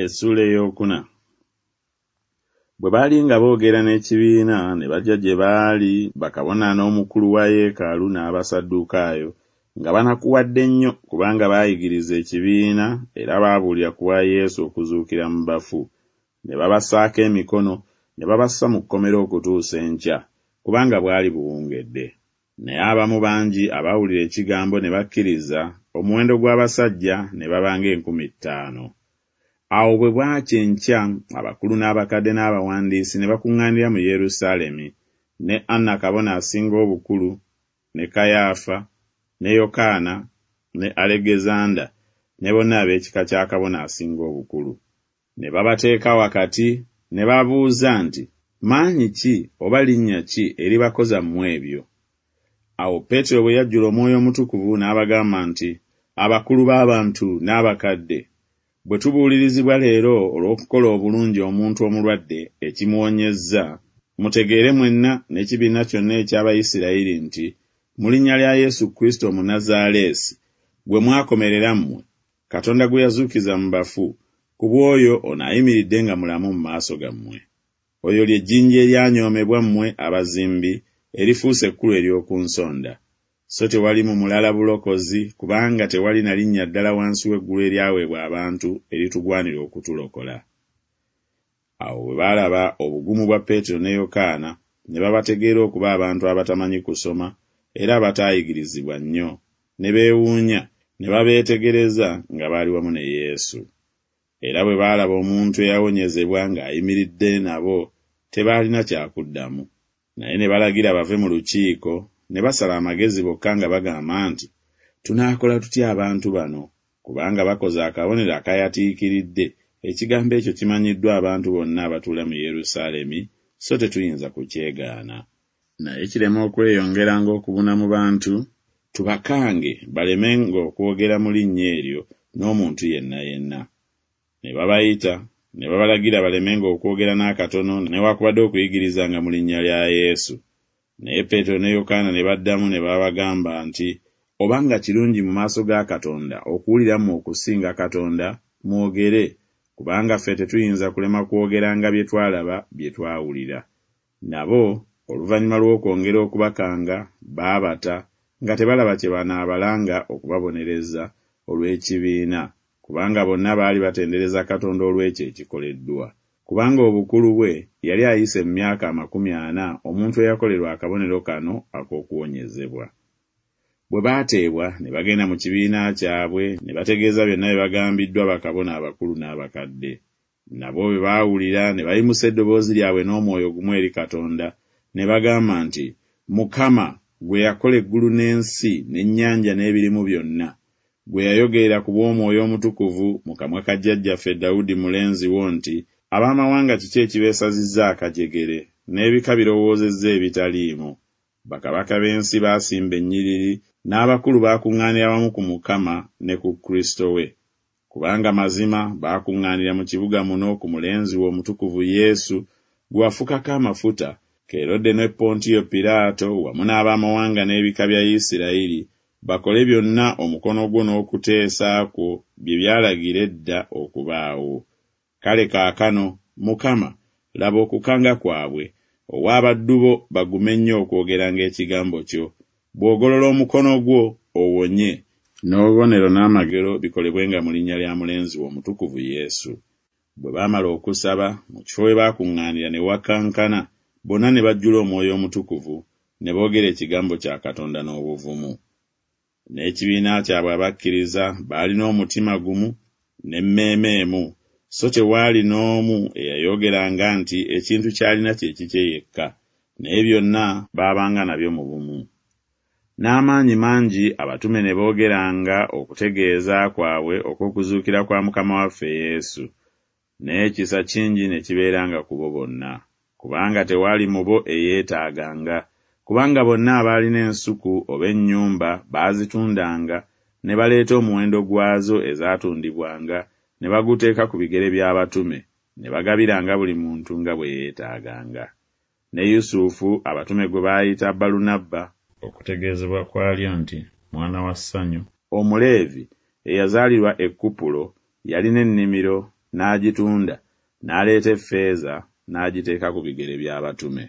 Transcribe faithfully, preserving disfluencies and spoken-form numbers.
Essuula ey'okuna. Bwe baali nga boogera n'ekibiina, ne bajja gye baali bakabona n'omukulu wa yeekaalu n'Abasaddukaayo, nga banakuwadde nnyo kubanga baayigiriza ekibiina era baabuulira ku bwa Yesu okuzuukira mu bafu. Ne babassaako emikono, ne babassa mu kkomera okutuusa enkya, kubanga bwali buwungedde. Naye abamu bangi abaawulira ekigambo ne bakkiriza, omuwendo gw'abasajja ne baba ng'enkumi ttaano. Awo bwe bwakya enkya, abakulu n'abakadde n'abawandiisi ne bakuŋŋaanira mu Yerusaalemi, ne Anna kabona asinga obukulu, ne Kayaafa, ne Yokaana, ne Alegezanda, ne bonna ab'ekika kya kabona asinga obukulu. Ne babateeka wakati, ne babuuza nti, Maanyi ki oba linnya ki eribakoza mmwe ebyo? Awo Peetero bwe yajjula Omwoyo Omutukuvu n'abagamba nti, Abakulu b'abantu n'abakadde, bwe tubuulirizibwa leero olw'okukola obulungi omuntu omulwadde ekimuwonyezza, mutegeere mwenna n'ekibiina kyonna eky'Abayisirayiri nti mu linnya lya Yesu Kristo Omunnazaaleesi, gwe mwakomerera mmwe, Katonda gwe yazuukiza mu bafu, ku bw'oyo ono ayimiridde nga mulamu mu maaso gammwe. Oyo lye jjinja eryanyoomebwa mmwe abazimbi, erifuuse ekkulu ery'oku nsonda. So tewali mu mulala bulokozi, kubanga tewali na linnya ddala wansi w'eggulu eryaweebwa abantu eritugwanira okutulokola. Awo bwe baalaba obugumu bwa Peetero ne Yokaana, ne babategeera okuba abantu abatamanyi kusoma era abataayigirizibwa nnyo, ne beewuunya, ne babeetegereza nga baali wamu ne Yesu. Era bwe baalaba omuntu eyawonyezebwa ng'ayimiridde nabo, tebaalina kya kuddamu. Naye ne balagira bave mu lukiiko, ne basala amagezi bokka nga bagamba nti, Tunaakola tutya abantu bano? Kubanga bakoze akabonero akayatiikiridde, ekigambo ekyo kimanyiddwa abantu bonna abatuula mu Yerusaalemi, so tetuyinza kukyegaana. Naye kireme okweyongeranga okubuna mu bantu, tubakange balemenga okwogera mu linnya eryo n'omuntu yenna yenna. Ne babayita, ne babalagira balemenga okwogera n'akatono newakubadde okuyigirizanga mu linnya lya Yesu. Naye Peetero ne Yokaana ne baddamu ne babagamba nti, Obanga kirungi mu maaso ga Katonda okuwulira mmwe okusinga Katonda, mwogere, kubanga ffe tetuyinza kulema kwogeranga bye twalaba bye twawulira. Nabo oluvannyuma lw'okwongera okubakanga, baabata, nga tebalaba kye banaabalanga okubabonereza olw'ekibiina, kubanga bonna baali batendereza Katonda olw'ekyo ekikoleddwa. Kubanga obukulu bwe yali ayise mu myaka amakumi ana omuntu eyakolerwa akabonero kano ak'okuwonyezebwa. Bwe baateebwa ne bagenda mu kibiina kyabwe ne bategeeza byonna bye bagambiddwa bakabona abakulu n'abakadde. Nabo bwe baawulira ne bayimusa eddoboozi lyabwe n'omwoyo gumu eri Katonda, ne bagamba nti, Mukama, ggwe eyakola eggulu n'ensi n'ennyanja n'ebirimu byonna, ggwe eyayogerera ku bw'Omwoyo Omutukuvu mu kamwa ka jjajjaffe Dawudi mulenzi wo nti, Ab'amawanga kiki ekibeesazizza akajegere, n'ebika birowoozezza ebitaliimu? Bakabaka b'ensi baasimba ennyiriri, n'abakulu baakuŋŋaanira wamu ku Mukama ne ku Kristo we. Kubanga mazima baakuŋŋaanira mu kibuga muno ku mulenzi wo omutukuvu Yesu, gwe wafukako amafuta, Kerode ne Pontiyo Piraato wamu n'ab'amawanga n'ebika bya Isirayiri, bakole byonna omukono gwo n'okuteesa kwo bye byalagira edda okubaawo. Kale kaakano, Mukama, laba okukanga kwabwe, owe abaddu bo bagume nnyo okwogeranga ekigambo kyo. Bw'ogolola omukono gwo, owonye, n'obubonero n'amagero bikolebwenga mu linnya lya mulenzi wo omutukuvu Yesu. Bwe baamala okusaba, mu kifo we baakuŋŋaanira ne wakankana, bonna ne bajjula Omwoyo Omutukuvu, ne boogera ekigambo kya Katonda n'obuvumu. N'ekibiina kyabwe abakkiriza baalina omutima gumu n'emmeeme emu, so tewaali n'omu eyayogeranga nti ekintu ky'alina kye kikye yekka, naye byonna baabanga nabyo mu bumu. N'amaanyi mangi abatume ne boogeranga okutegeeza kwabwe okw'okuzuukira kwa Mukama waffe Yesu, n'ekisa kingi ne kibeeranga ku bo bonna. Kubanga tewaali mu bo eyeetaaganga, kubanga bonna abaalina ensuku oba ennyumba baazitundanga, ne baleeta omuwendo gwazo ezaatundibwanga, ne baguteeka ku bigere by'abatume, ne bagabiranga buli muntu nga bwe yeetaaganga. Ne Yusufu abatume gwe baayita Balunabba, okutegeezebwa kwalyo nti Mwana wa Ssanyu, Omuleevi, eyazaalirwa e Kupulo, yalina ennimiro, n'agitunda, n'aleeta effeeza, n'agiteeka ku bigere by'abatume.